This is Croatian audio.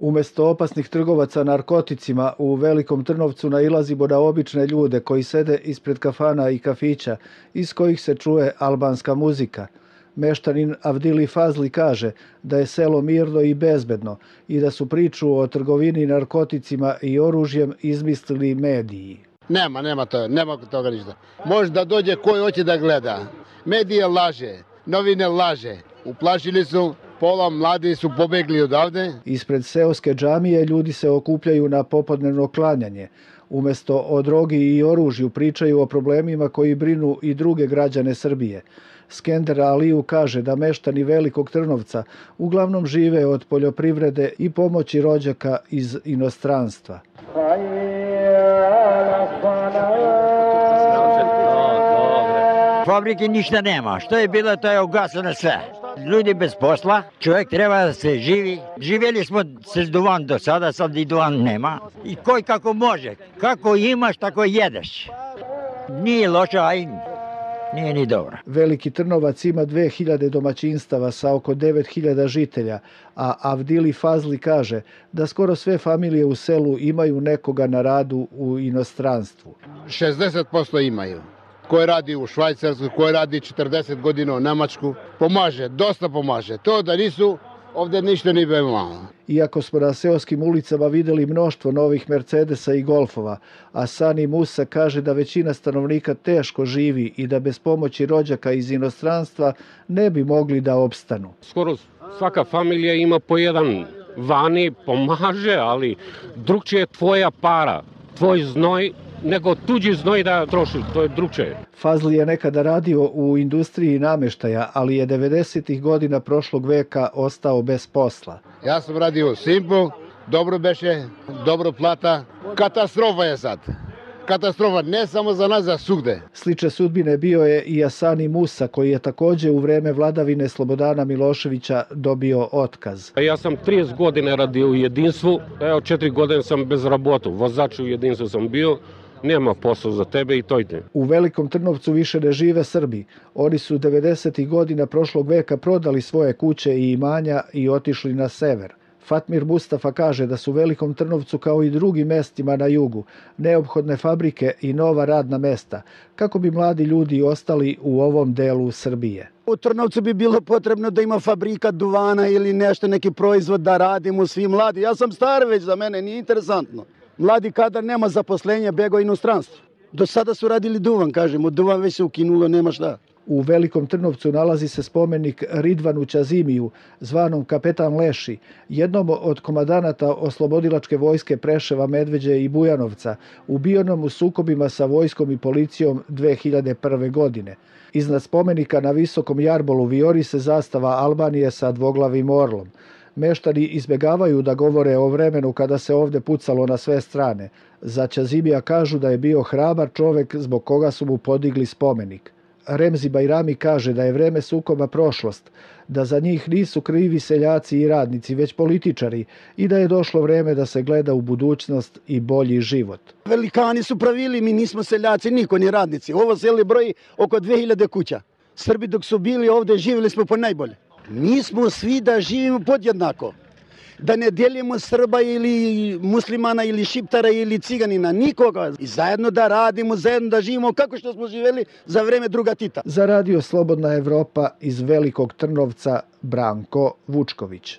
Umjesto opasnih trgovaca narkoticima u Velikom Trnovcu nailazimo na obične ljude koji sede ispred kafana i kafića iz kojih se čuje albanska muzika. Meštanin Avdili Fazli kaže da je selo mirno i bezbedno i da su priču o trgovini narkoticima i oružjem izmislili mediji. Nema toga ništa. Može da dođe koji hoće da gleda. Medije laže, novine laže. Uplašili su, pola mladi su pobegli odavde. Ispred seoske džamije ljudi se okupljaju na popodnevno klanjanje. Umjesto o drogi i oružju pričaju o problemima koji brinu i druge građane Srbije. Skender Aliju kaže da meštani Velikog Trnovca uglavnom žive od poljoprivrede i pomoći rođaka iz inostranstva. Fabrike ništa nema. Što je bilo, to je ugasano sve. Ljudi bez posla, čovjek treba da se živi. Živjeli smo s duvan do sada, sad i duvan nema. I koji kako može. Kako imaš, tako jedeš. Nije loše, a i nije ni dobro. Veliki Trnovac ima 2000 domaćinstava sa oko 9000 žitelja, a Avdili Fazli kaže da skoro sve familije u selu imaju nekoga na radu u inostranstvu. 60% imaju. Koji radi u Švajcarskoj, koji radi 40 godina u Nemačku. Pomaže, dosta pomaže. To da nisu, ovdje ništa nije malo. Iako smo na seoskim ulicama vidjeli mnoštvo novih Mercedesa i Golfova, a Sani Musa kaže da većina stanovnika teško živi i da bez pomoći rođaka iz inostranstva ne bi mogli da opstanu. Skoro svaka familija ima po jedan vani, pomaže, ali drugčije je tvoja para, tvoj znoj, nego tuđi znoj da troši, to je drugčije. Fazli je nekada radio u industriji namještaja, ali je 90. godina prošlog veka ostao bez posla. Ja sam radio u Simpu, dobro beše, dobro plata. Katastrofa je sad. Katastrofa ne samo za nas, za svugde. Slične sudbine bio je i Asani Musa, koji je također u vreme vladavine Slobodana Miloševića dobio otkaz. Ja sam 30 godina radio u Jedinstvu, evo 4 godine sam bez rabotu, vozač u Jedinstvu sam bio. Nema posla za tebe i to ide. U Velikom Trnovcu više ne žive Srbi. Oni su 90. godina prošlog veka prodali svoje kuće i imanja i otišli na sever. Fatmir Mustafa kaže da su Velikom Trnovcu kao i drugim mestima na jugu neophodne fabrike i nova radna mesta kako bi mladi ljudi ostali u ovom delu Srbije. U Trnovcu bi bilo potrebno da ima fabrika duvana ili nešto, neki proizvod da radimo svi mladi. Ja sam star već, za mene nije interesantno. Mladi kadar nema zaposlenja, bego inostranstvo. Do sada su radili duvan, kažemo, duvan već se ukinulo, nema šta. U Velikom Trnovcu nalazi se spomenik Ridvanu Ćazimiju, zvanom Kapetan Leši, jednom od komandanata oslobodilačke vojske Preševa, Medveđe i Bujanovca, ubijenom u sukobima sa vojskom i policijom 2001. godine. Iznad spomenika na visokom jarbolu vijori se zastava Albanije sa dvoglavim orlom. Meštani izbjegavaju da govore o vremenu kada se ovdje pucalo na sve strane. Za Ćazimija kažu da je bio hrabar čovjek zbog koga su mu podigli spomenik. Remzi Bajrami kaže da je vreme sukoba prošlost, da za njih nisu krivi seljaci i radnici, već političari i da je došlo vreme da se gleda u budućnost i bolji život. Velikani su pravili, mi nismo seljaci, niko ni radnici. Ovo selo broji oko 2000 kuća. Srbi dok su bili ovdje živjeli smo po najbolje. Mi smo svi da živimo podjednako. Da ne dijelimo Srba ili muslimana ili šiptara ili ciganina, nikoga. I zajedno da radimo, zajedno da živimo kako što smo živjeli za vreme druga Tita. Za Radio Slobodna Evropa iz Velikog Trnovca, Branko Vučković.